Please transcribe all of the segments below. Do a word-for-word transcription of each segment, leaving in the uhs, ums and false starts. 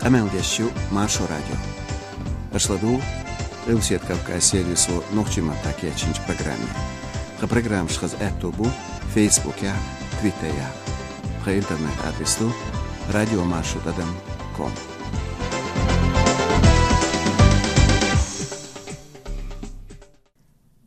Къамел деш ю Маршо радио. Аша ладугӀу Къилбаседа Кавказ сервисо нохчийн маттахь кечйинчу программе. Тхан программаш хаза аьтто бу Фейсбукехь, Твиттерехь. Тхан интернет-адрес ду радиомаршо тӀадам ком.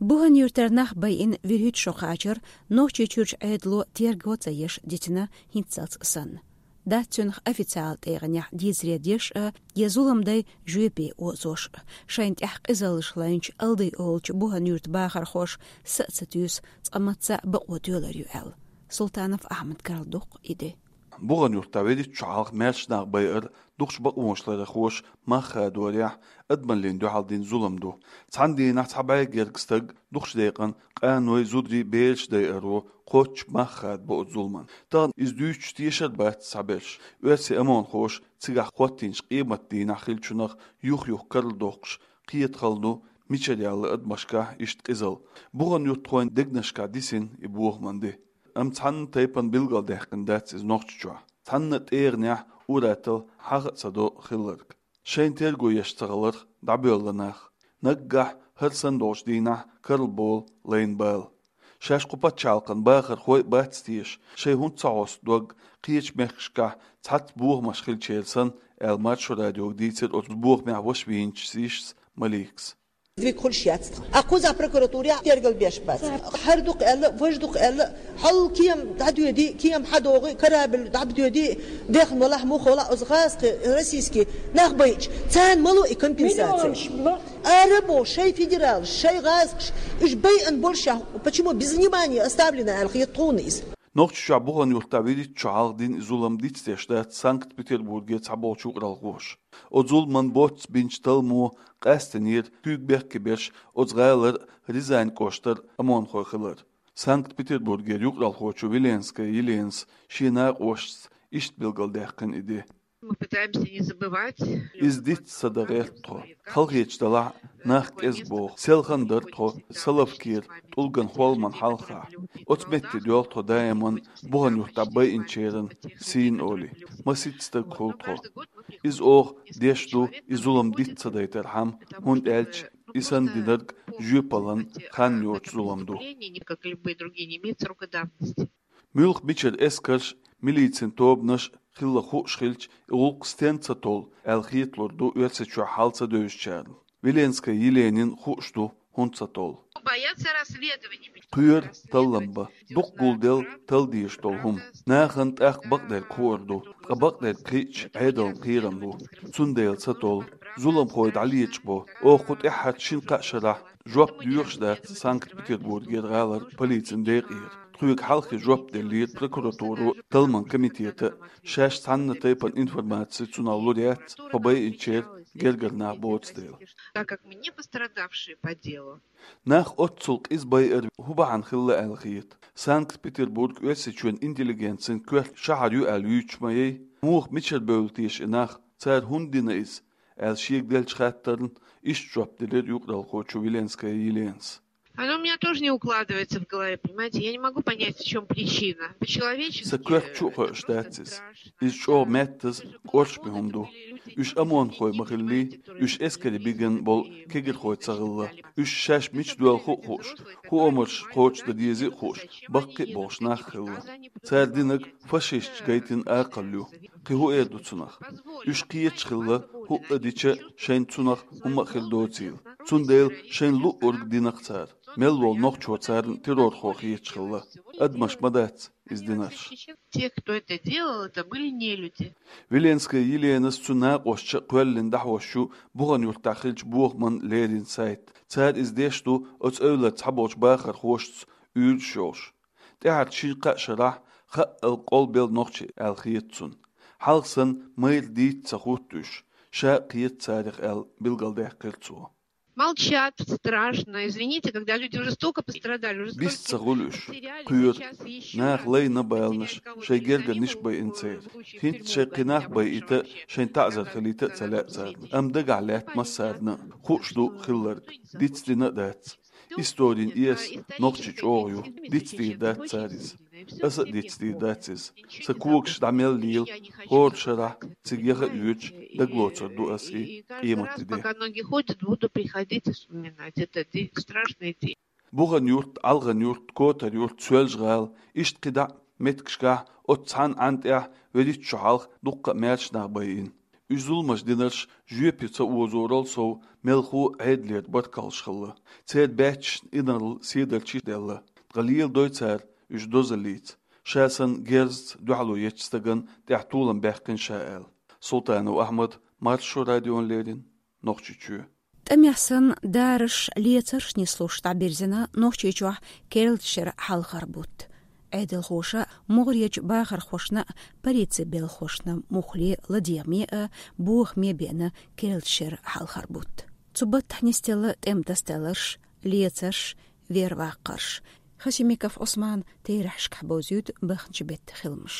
Бухан-Юьртара нах байина вуьрхӀитта шо кхачар Нохчийчуьрчу Ӏедало терго ца еш дитина хӀинццалц санна. Дац цуьнах официалан тӀегӀанехь дийцаре деш а, я зулам дай жоьпе озош а. Шайна тӀехь къизаллаш лайначу Алды олучу Бухан-Юьртан бахархоша са а ца туьйсу, цкъа мацца а бакъо тоьлур ю аьлла. Султанов Ахьмада карладоккху и де. Бухан-Юьртахь вуьрхӀитта шо хьалха маьрша нах байар дукхачу бакъонашларъярхоша мах хадорехь адамаллина дуьхьал дина зулам ду. Цхьана дийнахь цхьа бӀе гергга стаг дукхачу декъана къаной, зударий, бераш дайаро кхоччуш мах хадабо оцу зуламна. Тахана иза дуьйцуш тешар бац цхьаберш. Оьрсийн ОМОНхоша цигахь хӀоттийначу къематан дийнахь хиллачунах юх-юха карладоккхуш, кхета хала ду, мичара яьлла адамашкахь иштта къизалла. Бухан-юьртахойн дегнашкахь дисина и бохаман де. Амма цхьанна тайпана билгалдаьккхина дац иза Нохчийчохь. Цхьанна а тӀегӀанехь ур-атталла хьаха а ца до хилларг. Шайна терго еш ца хиларх дӀабоьлла нах. Наггахь хӀара санна долчу дийнахь карла болу лайна бала. Шаьш кху пачхьалкхан бахархой а бац теша, шайн хӀунда ца хьосту дог, кхечу мехкашкахь цхьацца бохамаш хилчеран санна, аьлла, Маршо радиога дийцира оцу бохамехь ваша вийначу йишас Маликас. Дерг хуьлуш яц тхан. Кхузахь прокуратурехь тергал беш бац. ХӀара дукха аьлла, важа дукха аьлла, хьал кема дӀадоьди, кема хьадогӀи, корабль дӀабадоьди, дехна валахь, муха валахь, оцу гӀазкхи, российский нах байча, царна ма ло и компенсация. Ара бо шай федералаш, шай гӀазкхаш, уьш байъан болшехь, почему без внимания оставлено аьлла хета тхуна иза. Нохчийчохь Бухан-Юьртахь вуьрхӀитта шо хьалха дина и зулам дицдеш дац Санкт-Петербурге цхьаболчу юкъаралхоша. Оцу зуламан боцца бинчу талламо къастийнера куьйга бехке берш оцу гӀалара Рязань кӀоштара ОМОНхой хилар. Санкт-Петербургера юкъаралхочо Виленская Еленас шен накъосташца иштта билгалдаьккхина и де. Мы пытаемся не забывать. Иза диц ца дан гӀерта тхо. Халахеташ далахь, нах кӀезиг боху. Селхана дара тхо Соловкера, ТӀулган хӀолламан хьалха. Оцу метте доьлху тхо даиман Бухан-Юьртахь байинчеран сийна олий. Масийтта стаг хуьлу тхо. Иза оха деш ду и зулам диц ца дайтархьама, хӀунда аьлча и санна динарг жоьпаллин хан йоцу зулам ду. Как любые другие, не имеет срока давности. Муьлха мичара эскарш, милицин тобанаш хилла хууш хилча, и гӀуллакх стенна ца толлу аьлла хеталур ду Оьрсийчохь хьал ца девзачарна. Виленская Еленина хууш ду хӀунда ца толлу. Боятся расследования. Кхоьру таллам бан. Дукха гулделла талла дезаш долу хӀума. Нахана тӀаккха бакъдерг хуур ду, ткъа бакъдерг кхиъча, Ӏедална кхерам бу. Цундела ца толлу. Зуламхой дӀалечкъабо. Оха кху тӀаьххьарчу шина-кхаа шарахь жоп доьхуш дац Санкт-Петербургера гӀалара полицин декъера. Тхоьга хьалххе жоп деллера прокуратуро, талламан комитето, шаьш цхьанна тайпана информаци цунах лур яц, тхо байинчеран гергара нах боцу дела. Так как мы не пострадавшие по делу. Нах оццул къиза байар хӀун бахьана хилла аьлла хета? Санкт-Петербург Оьрсийчоьнан интеллигенцин коьрта шахьар ю аьлла юьйцуш ма яй? Муха, мичара бевлла теша и нах? Цара хӀунда дина иза? Аьлла шега деллачу хаттарна иштта жоп делира юкъаралхочо Виленская Еленас. Оно у меня тоже не укладывается в голове, понимаете? Я не могу понять, в чём причина. По-человечески. Сан коьрта чу а хоуьйтуш дац иза. Иза чӀогӀа меттаза, кӀоршаме хӀума ду. Уьш ОМОНхой ма хиллий, уьш эскаре бигина болу кегирхой ца хилла. Уьш шаьш мича доьлху а хууш, хӀун омраш кхочушдан дезий а хууш, баккхий а болуш нах хилла. Цара динарг фашисташа гайтина акхалла ю. Кхин хӀун эр ду цунах? Уьш кхеташ хилла, хӀуъа дича шайна цунах хӀумма а хир доцийла. Цундела шайна луъург динарх цара. Мел волу нохчо царна террорхо хеташ хилла. Адамаш ма дац иза динарш. Те, кто это делал, это были нелюди. Виленская Еленас, цуьнан накъосташ а кхоьллина дӀахьош ю Бухан-Юьртахь хиллачу бохаман леррина сайт. Цара иза деш ду оцу эвлара цхьаболчу бахархошца уьйраш йолуш. ТӀаьххьарчу шина-кхаа шарахь хаъал къолбелла нохчий аьлла хета цунна. Хьалха санна майра дийца ца хӀутту уьш, ша а кхета царах аьлла билгалдаьккхира цо. Молчат, страшно. Извините, когда люди уже столько пострадали, уже столько потеряли, сейчас ещё и сейчас. Бист ца хуьлу уьш, кхоьру, наха лайна баланаш, шайн гергарниш байина церан. ХӀинца шайн кхин нах байийта, шайн таӀзар хилийта а ца лаьа царна. Амма дагахь лаьтта массарна а, хууш ду хилларг, дицдина а дац. Историн эса нохчи чӀогӀа ю, дицдийр дац цара иза. Аса а дицдийр дац иза. Сан когаш дӀа мел лела, хӀора шарахь цига яха а йоьдуш, дагалоцур ду ас и къематан де. Пока ноги ходят, буду приходить и вспоминать этот день, страшный день. Бухан-Юрт, Ӏалхан-Юрт, Котар-Юрт, Соьлжа-ГӀала, иштта кхидӀа а меттигашкахь оццу цхьана Ӏан тӀехь вуьрхӀитта шо хьалха дуккха а маьрша нах байина. Уьш зуламаш динарш жоьпе ца озорал сов, мелхо а Ӏедалера баркаллаш хилла. Церан баьччашна инарла седарчий делла. Ткъа леладой цара уьш дозаллица, ша санна герзаца дуьхьало ечу стагана тӀехь толам баьккхина ша аьлла. Султанов Ахьмад, Маршо радиона леррина, Нохчийчоь. ТӀамехь санна, дараш, лецарш нислуш дӀабирзина Нохчийчохь керлачу шеран хьалхара бутт. Ӏедалхоша могӀарерчу бахархошна а, полицин белхахошна а муххале а, ладегӀаме а, бохаме а беана керлачу шеран хьалхара бутт. Цу баттахь нисделла тӀеман тасадаларш, лецарш, верваккхарш. Хасимиков Ӏусман терахьашкахь бовзуьйту баханчу беттан хиламаш.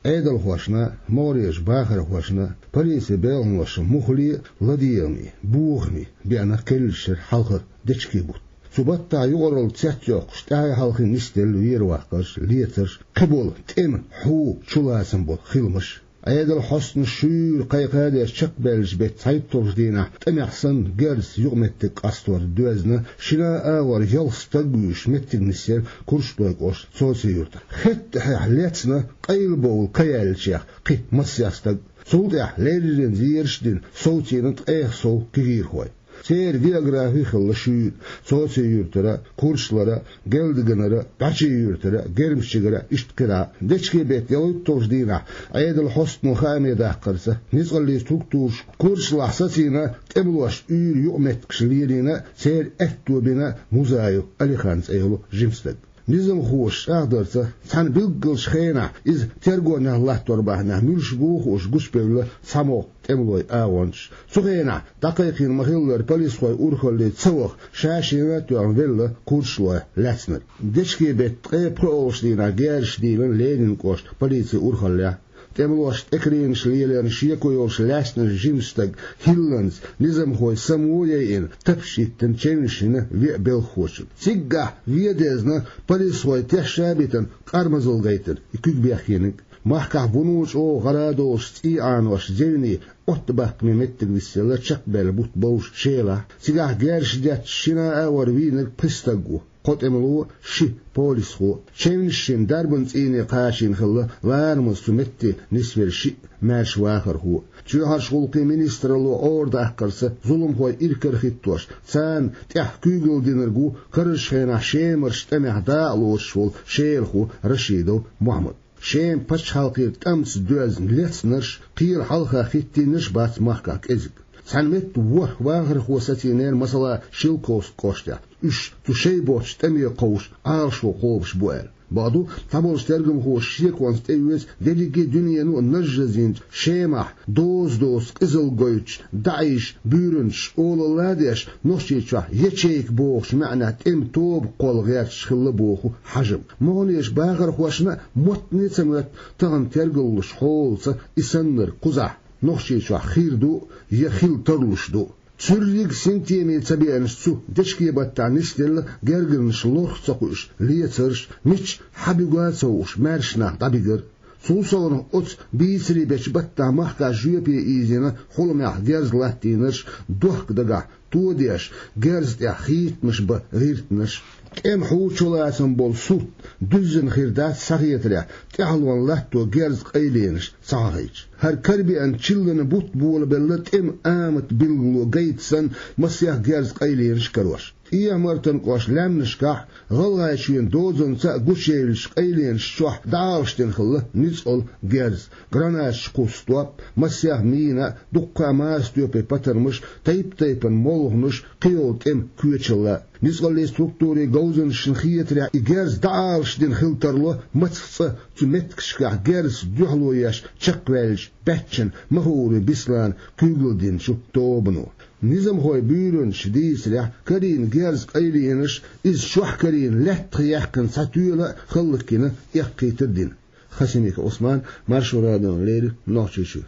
Ӏедалхошна, могӀарерчу бахархошна, полицин белхахошна муххале а, ладегӀаме а, бохаме а беана керлачу шеран хьалхара дечкен бутт. Цу баттахь юкъаралла цецйоккхуш, тӀаьхье-хьалхе нисделла верваккхарш, лецарш, кхиболу тӀеман хьу чулацам болу хиламаш. Ӏедалан хьостанаша шуьйра кхайкхадеш чекхбаьллачу беттан цхьайтталгӀачу дийнахь тӀамехь санна герзаца юкъаметтиг къастор доьзна, шина а агӀор ялх стаг вуьйш меттиг нисъяра Курчалойн кӀоштан Цоце-Юьртахь. Хеттахьехь лецна къайлабовла ка яьллачех кхин массех стаг. Цул тӀаьхьа леррина зераш а дина, совцийна ткъех сов кегийрхой. Церан географи хилла шуьйра: Цоце-Юьртара, Курчалара, Гелдаганара, БӀачи-Юьртара, Гермчигара, иштта кхидӀа а. Дечкен беттан ялхитталгӀачу дийнахь Ӏедалан хьостано хааме даккхарца, ницкъаллин структураша Курчалахь сацийна тӀемалошна уьйр юкъаметтигаш лелийна, церан аьтто бина Музаев Алихана цӀе йолу жима стаг. Низамхоша чӀагӀдарца, цхьана билггалчу хенахь иза тергонехь латтор бахьанехь муьлш бу хууш гучубевлла цхьамогӀа тӀемалойн агӀончаш. Цу хенахь дӀакхайкхийна ма-хиллара полисхой урхалле ца ваха, ша-шена а тоьхна велла Курчалойх лаьцнарг. Дечкен беттан ткъе пхоьалгӀачу дийнахь герзаш дийлина Ленинан кӀоштан полицин урхаллехь. ТӀемалошна тӀекаренаш леларна шеко йолуш лаьцначу жима стага хӀилланца низамхой само яйина, тапча йиттина чевнаш йина веа белхахочун. Циггахь вен дезна, полисхой тешна а битина, къармазалла гайтина и куьг бехкениг. Махкахь вуно чӀогӀа гӀара а долуш цӀий Ӏанош зевне оттабаккхаме меттиг нисъелла чекхбаьлла бутт бовш Шелахь. Цигахь герзаш детташ шина а агӀор вийнарг пхи стаг ву. Кхо тӀемало, ши полисхо. Чевнаш йина дарбан цӀийне кхачийна хилла ларамаза цу метте нисвелла шиъ маьрша вахархо. Чоьхьарчу гӀуллакхийн министралло Ӏорадаккхарца, зуламхой иракарахӀиттош, царна тӀехь куьйгалла динарг ву карарчу хенахь Шемарчу тӀамехь дакъа лоцуш волу шелахо Рашидов Мухьаммад. Шеман пачхьалкхера тӀамца доьзна лецнарш, кхелан хьалха хӀиттийнарш бац махкахь кӀезиг. Цхьана метта ворхӀ вахархо сацийнера, масала, Шелковски кӀоштехь. Уьш цу шайн боцчу тӀаме кховш, Ӏалашо кхобуш бу аьлла. Бакъду, цхьаболчу тергамхоша шеконца тӀеоьцу дерриге а дуьнено а нажжазйинчу Шемахь доза-доза къизалла гойтуш, даӀиш, буьйранчаш олалла а деш, Нохчийчохь ячейка бохучу маьӀнехь тӀеман тоба кхолла гӀерташ хилла боху хьажам. МогӀарерчу бахархошна а моттане а ца моьтту тахана тергаллуш хьолаца и саннарг кхузахь Нохчийчохь хир ду я хила тарлуш ду. Цуьрриг синтеме ца беанаш цу дечкен баттахь нисделла гергарнаш лорах ца кхуьуш лецарш, мича хьан буьгу а ца хууш маьрша нах дӀабигар. Цул совнаха оцу бийцаре бечу баттахь махкахь жоьпе ийзина хьуламехь герз латтийнарш, дохка дагахь тодеш, герз тӀехь хийтамаш бан гӀиртинарш. ТӀеман хьу чулацам болу сурт дуьззина хир дац схьахетарехь, тӀаьхьалонна латто герз къайленаш ца хьахийча. ХӀара карабеана чиллан бутт болабелла тӀеман амат билгало гайта санна, масех герз къайленаш карош. ТӀехьа-Мартан кӀоштан лаьмнашкахь, ГӀалгӀайчоьнан дозанца а гучуевллачу къайленаш чохь дӀаалашдина хилла ницкъала герз, гранаташ кхуссу топ, масех мина, дуккха а маса тоьпе патармаш, тайп-тайпана молханаш, кхийолу тӀеман коьчалла. Ницкъаллин структурийн говзанчашна хетарехь, и герз дӀаалашдина хила тарло мацах цӀа цу меттигашкахь герзаца дуьхьало еш чекхваьллачу баьччан Махаури Бислана куьйгалла динчу тобано. Низамхойн буьйранчаша дийцарехь, карийна герз къайленаш, иза чохь карийна лаьттах яьккхина цхьа тоьла а хӀаллакйина эккхийтар дина. Хасимиков Ӏусман, Маршо радиона леррина, Нохчийчуьра.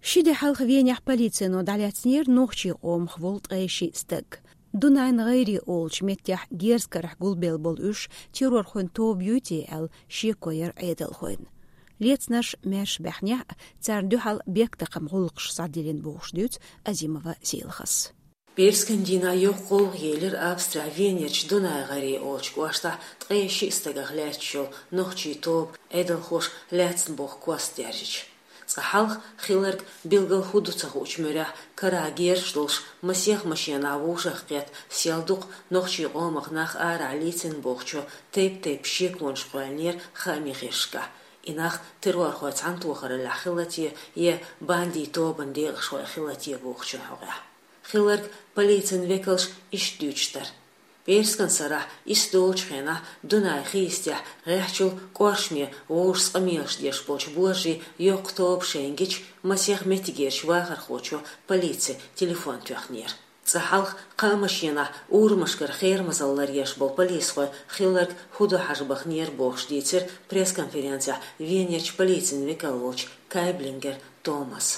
Ши де хьалха Венехь полицино дӀалаьцнера нохчийн къомах волу ткъе шиъ стаг. Дунайн гӀайре олучу меттехь герз карахь гулбелла болу уьш террорхойн тоба юй те аьлла шеко яра Ӏедалхойн. Лецнарш маьрша баьхнехь а, царна дуьхьал бехктакхаман гӀуллакхаш схьадиллина бохуш дуьйцу Азимова Сийлахьас. Пиарскан дийнахь йоккха гӀуллакх елира Австрехь Венерчу Дунайн гӀайре олучу кӀоштахь ткъе шиъ стагах лаьтташ йолу нохчийн тоба Ӏедалхоша лаьцна боху кост даьржича. Цкъа хьалха хилларг билггал хӀун ду ца хуучу муьрехь карахь герзаш долуш масех машенахь вовшахкхетта сел дукха нохчийн къомах нах арахь лецна бохучо тайп-тайпана шеконаш кхоьллинера хаамийн гӀирсашкахь. И нах террорхойн цхьаьнатохараллехь хилла те я бандийн тобанан декъашхой хилла те бохучун хьокъехь. Хилларг полицин векалша иштта дуьйцуш дара. Пиарскан сарахь исс долучу хенахь Дунайн хи йистехь гӀеххьачул кӀоршаме вовшашца къамелаш деш болчу божарийн йоккха тоба шайна гича, масех меттигерчу вахархочо полице телефон тоьхнера. Цкъа хьалха кхаа машенахь урамашкара херамазалла ларъеш болу полисхой хилларг хӀун ду хьажа баханера бохуш дийцира пресс-конференцехь Венерчу полицин векал волчу Кайблингер Томаса.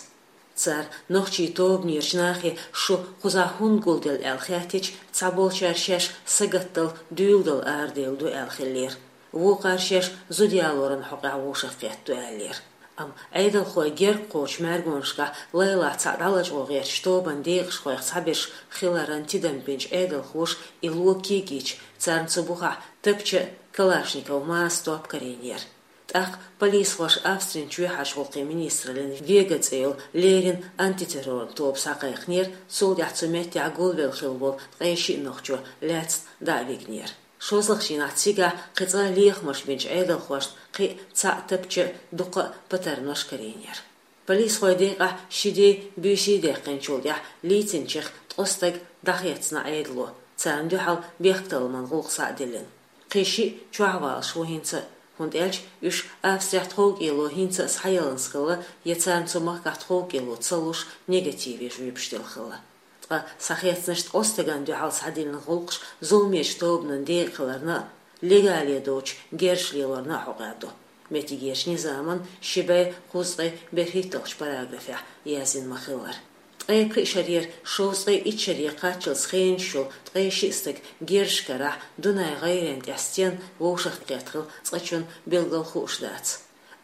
Цара нохчийн тобанерчу нахе шу кхузахь хӀунда гулделла аьлла хаьттича, цхьаболчара шаьш сагатдала, дуьйладала арадевлла ду аьлла хиллера. Вукхара шаьш зуда ялоран хьокъехь вовшахкхетта ду аьллера. Амма Ӏедалхой герга кхочу мӀаьргонашкахь лайлахь цхьаъ дӀалачкъо гӀертачу тобанан декъашхойх цхьаберш хиларан тидам бинчу Ӏедалхоша и ло кегийча, царна цу бухахь тапча а, калашников маса топ карийнера. ТӀаккха полисхоша Австрин чоьхьарчу гӀуллакхийн министраллин Вега цӀе йолу леррина антитерроран тоба схьакхайкхинера, цул тӀаьхьа цу меттехь гулвелла хилла волу ткъе шиъ нохчо лаьцна дӀа а вигнера. ШолгӀачу дийнахь цигахь кхин цкъа лехамаш бинчу Ӏедалхошна кхин а цхьаъ тапча а, дуккха а патармаш карийнера. Полисхойн декъахь ши де, буьйса даьккхинчул тӀаьхьа лецначех ткъа стаг дӀахецна Ӏедало, царна дуьхьал бехктакхаман гӀуллакх схьа а диллина. Кхин шиъ чохь валуш ву хӀинца а, хӀунда аьлча уьш Австрехь тховкӀело хӀинца а схьаяланза хилла я царна цу махкахь тховкӀело ца луш, негативе жоьпаш делла хилла. Ткъа схьахецначу ткъа стагана дуьхьал схьадиллина гӀуллакхаш зуламечу тобанан декъа хиларна а, легале доцучу герзаш лелорна а хьокъехь ду. Меттигерчу низаман ши бӀе кхузткъе берхӀитталгӀачу параграфехь яздина ма-хиллара. Ткъе пхи шарера шовзткъе итт шаре кхаччалц хенаш йолу ткъе шиъ стаг герзаш карахь Дунайн гӀайренна тӀехь стенна вовшахкхетта хилла цкъачунна билггал хууш дац.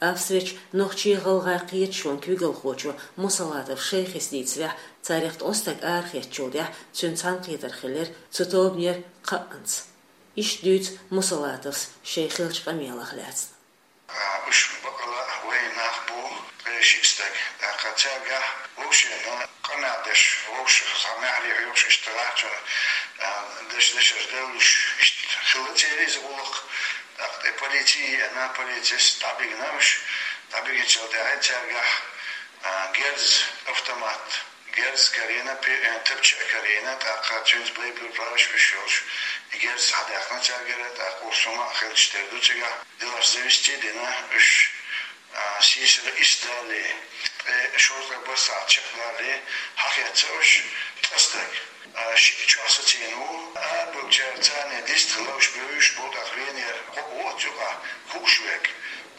Австрерчу нохчийн-гӀалгӀайн кхеташонан куьйгалхочо Мусалатов Шайхис дийцарехь, царех ткъа стаг арахецначул тӀаьхьа цуьнан цхьаьнакхетар хиллера цу тобанера кхаъанца. Иштта дуьйцу Мусалатовс шайн хиллачу къамелах лаьцна. А, уьш бакъала вайн нах бу, ткъе шиъ стаг. ТӀаккха цаьргахь вовшашна къамел деш, вовшашца маьхьарий хьоьхуш иштта лахьчунна, а, деш-дешаш девллуш, иштта хилла церан иза гӀуллакх. ТӀаккха тӀе полици еана, полицис дӀабигна уьш. ДӀабигначул тӀаьхьа цаьргахь, а, герз, автомат, герз карийна, пе-, э, тапча а карийна, тӀаккха цуьнца боеприпасаш уьш йолуш, и герз схьадаьккхина цаьргара, тӀаккха урс хӀума а хилча тера ду цигахь. Делаш завести а дина уьш, а, сийсара исс далале, ткъе шовзткъе бархӀ сахьт чекхдалале, схьахецна уьш ткъа стаг, а, шиъ чохь сацийна ву. Арабевллачара царна дистхила уьш бевзаш бу, тӀаккха Венера кхоъ ву оцу юкъахь хууш верг.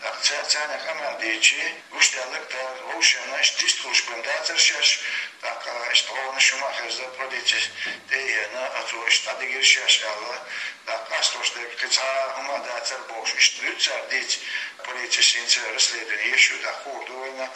ТӀаккха цара царна къамел дийцича, гучудаьлларг дара, вовшашна иштта дистхуьлуш бен дацара шаьш, тӀаккха иштта гӀовгӀанаш хӀума а хезна, полицис тӀе а еана, оцо иштта дӀадигира шаьш аьлла, тӀаккха къастош дерг кхин цхьа а хӀума а дацара бохуш, иштта дуьйцу цара дийца, полицис хӀинца расследование еш ю, тӀаккха хуур ду вайна.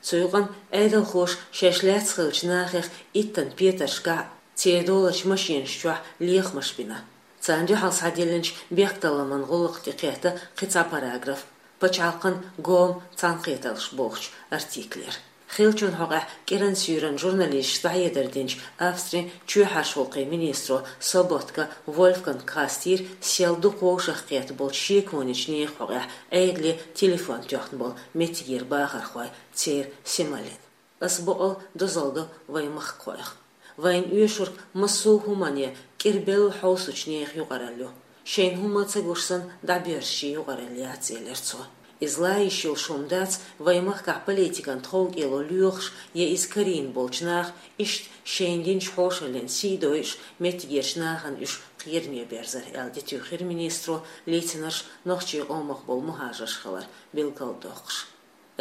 Цу юкъана Ӏедалхоша шаьш лаьцна хиллачу нахех иттан петаршкахь а, церан долчу машенаш чохь лехамаш бина. Царна дуьхьал схьадиллинчу бехктакхаман гӀуллакхна тӀекхетта кхин цхьа параграф, пачхьалкхан гом, цхьаьнакхетарш бохучу артиклера. Хиллачун хьокъехь кӀиранан суьйранна журналисташка дӀахьедар динчу Австрин чоьхьарчу гӀуллакхийн министро Соботка Вольфганга хастийра сел дукха вовшахкхетта болчу шеконечу нехан хьокъехь Ӏедале телефон тоьхна болу меттигера бахархой, церан сималин. Аса бакъ а дозалла до вайн махкахойх. Вайна оьшург массо а хӀумане кӀирбелла хьовсучу нехан юкъаралла ю. Шайна хӀумма а ца гуш санна, дӀабоьрзучийн юкъаралла яц, элира цо. Иза ла йиш йолуш хӀума дац, вайн махкахь политикан тховкӀело лоьхуш я иза карийна болчу наха иштта шайна динчу хьошаллин сий дойуш, меттигерчу нахана уьш кхераме берзар, аьлла, тӀетуьйхира министро, лецнарш нохчийн къомах болу мухӀажарш хилар билгалдоккхуш.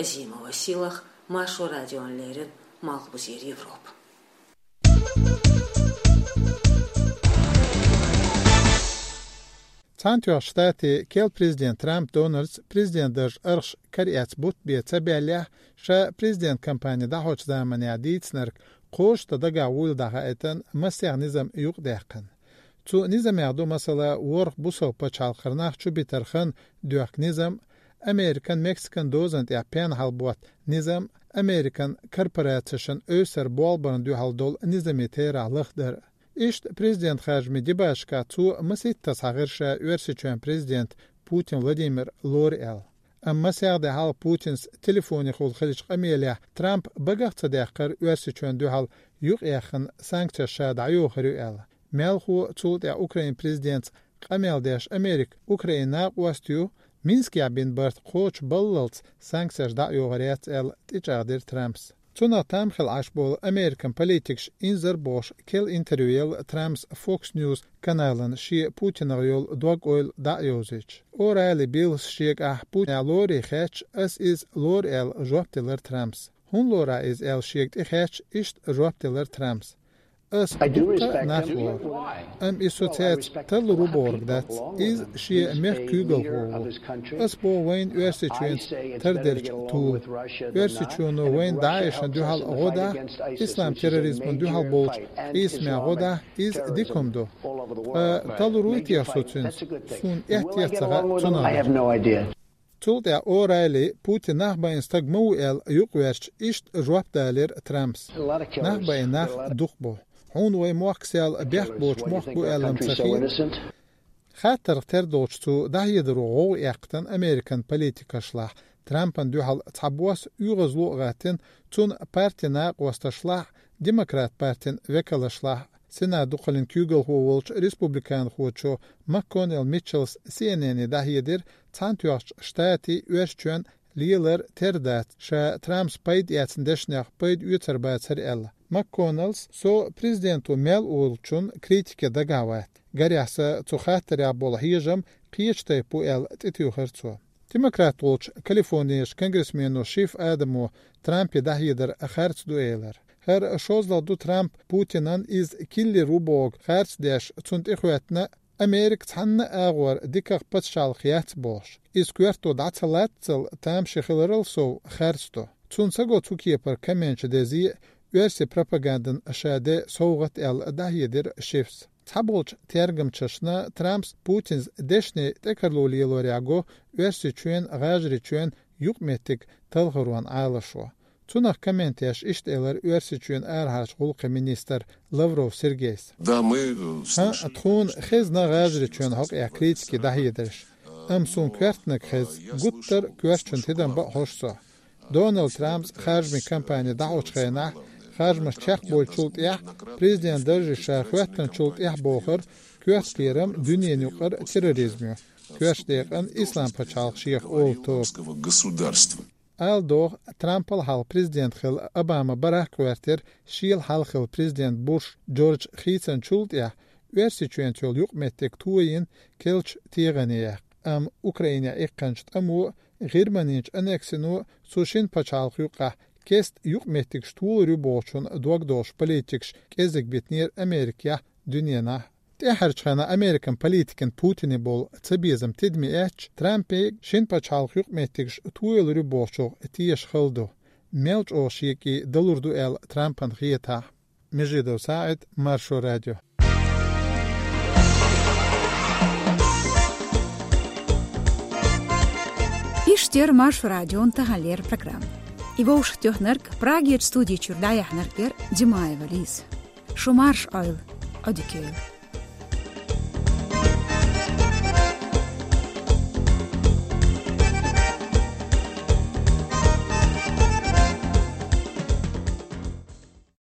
Азимова Сийлахь, Маршо радиона леррина, Малхбузера Европа. Цхьаьнатоьхначу Штатийн керла президент Трамп Дональдс президент даржа аргӀаш кара эцна бутт бе ца баьллехь, ша президент кампани дӀахьочу заманахь дийцинарг кхочушдан дагахь вуйла дӀахаийтина массех низам юкъадаьккхина. Цу низамех ду, масала, ворхӀ бусалба пачхьалкхера нах чубитарх доьхку низам, Американ-Мексикан дозан тӀехь пен хьалаботта низам, Американ корпорацешна эвсара болх барна дуьхьал долу низамийн терахь лахдар. Иштта президент харжамийн дебаташкахь цо масийттаза хьахийра ша Оьрсийчоьнан президент Путин Владимир лору аьлла. Амма масех де хьалха Путинца телефонехула хиллачу къамелехь Трампа багах а ца даьккхира Оьрсийчоьнна дуьхьал юкъаяьккхина санкцеш ша дӀайохур ю аьлла. Мелхо, цул тӀаьхьа Украинан президентца къамел деш Америка Украинан накъост ю, Минскехь бина барт кхочушбаллалц санкцеш дӀа а йохур яц аьлла, тӀечӀагӀдира Трампс. Цунах там хилла Ӏаш болу Американ политикаша инзар а бохуш, керла интервью елла Трампс Fox News канална шен Путинах йолу дог-ойла дӀа а йовзуьйтуш. О'Райли Биллас шега ахь Путинах лорий хаьттича, ас иза лору аьлла жоп делира Трампс. ХӀунда лору ахь иза аьлла шега тӀехаьттича, иштта жоп делира Трампс. Ас дуккха а нах лору. Амма иза со цаьрца тарлур ву бохург дац. Иза шен мехкан куьйгалхо ву. Ас боху вайна Оьрсийчоьнца тарделлачу тулах. Оьрсийчоьно вайна ДАИШна дуьхьал гӀо дахь, ислам терроризмана дуьхьал болчу къийсамехь гӀо дахь, иза дика хӀума ду. Ткъа тарлур вуй техьа со цуьнца? Суна аьтто а ца хаьа цунах. Цул тӀаьхьа О'Райли Путин нах байина стаг ма ву аьлла юкъаваьрча, иштта жоп далийра Трампс. Нах байина нах дукха бу. Хьуна вайн мохк сел бехк боцу мохк бу аьлла-м ца хета. Хаттарх тера долчу цо дӀахьедаро гӀовгӀа эккхийтина Американ политикашлахь, Трампана дуьхьал цхьабосса оьгӀазло а гӀаттийна цуьнан партин накъосташлахь, Демократ партин векалшлахь, Сенат дукхаллин куьйгалхо волчу республиканхочо МакКоннелл Митчеллс Си Эн Эне дӀахьедира, Цхьаьнатоьхначу Штатийн Оьрсийчоьнан лелар тера дац, ша Трампс пайда эцна дешнех пайда оьцур бацара аьлла. МакКоннеллс: «Со президенто мел олучун критике дагахь вац. Гарехь, сан цу хаттарехь болу хьежам кхечу тайпа бу», — аьлла, тӀетуьйхира цо. Демократ волчу Калифорнерчу конгрессмено Шифф Адамо Трампе дӀахьедар харц ду элира. ХӀара шозлагӀа ду Трамп Путинан иза киллер ву бохург харц деш, цунна тӀехӀоьттина, Америка цхьанна а агӀор диках пачхьалкх яц бохуш. Иза коьрто дӀа ца латтал тамашийна хиларал сов харц ду. Цунна ца го цу кепара комменташ дезе а, оьрсийн пропагандана ша де совгӀат аьлла, дӀахьедира Шиффс. Цхьаболчу тергамчашна Трампс Путинца дешнийн тӀекарло лелорехь го Оьрсийчоьнан, ГӀажарийчоьнан юкъаметтиг талхарон Ӏалашо. Цунах коммент деш иштта элира Оьрсийчоьнан арахьарчу гӀуллакхийн министр Лавров Сергейс. Да, мы, э, ХӀаъ, слышим, тхуна хезна ГӀажарийчоьнан хьокъехь критике дӀахьедарш. Амма суна коьртаниг хеза, гуттар а коьртачун тидам бан а хьожу со. Дональд Трампс харжамийн кампани дӀахьочу хенахь, харжамаш чекхбойтучул тӀаьхьа, президент даржехь ша хӀоьттинчул тӀаьхьа бохура, коьрта кхерам дуьненан юкъара терроризм ю, коьртачу декъана Ислам пачхьалкх шех олу тоба. Ала догӀу, Трампал хьалха президент хилла Обама Барак гӀоьртира шел хьалха хилла президент Буш Джордж хийцинчул тӀаьхьа, Оьрсийчоьнца йолу юкъаметтиг тойина керлачу тегӀане яккха. Амма Украинехь иккхинчу тӀамо а, ГӀирманин аннексино а, цу шина пачхьалкхан юккъехь кеста юкъаметтигаш толур ю бохучун дог долуш политикаш кӀезиг битинера Америкехь а, дуьненахь а. ТӀаьхьарчу хенахь Американ политикан Путине болу цабезам тидаме эцча, Трампе шина пачхьалкхан юкъаметтигаш тоялур ю бохучух теша хала ду. Мел чӀогӀа шега и далур ду аьлла Трампана хетахь. Межидов СаӀид, Маршо радио. Иштта яра Маршо радион таханлера программа. И вовшахтоьхнарг, Прагерчу студи чуьра дӀаяьхьнарг яра Димаева Лиза. Шу марша Ӏойла, Ӏодика йойла.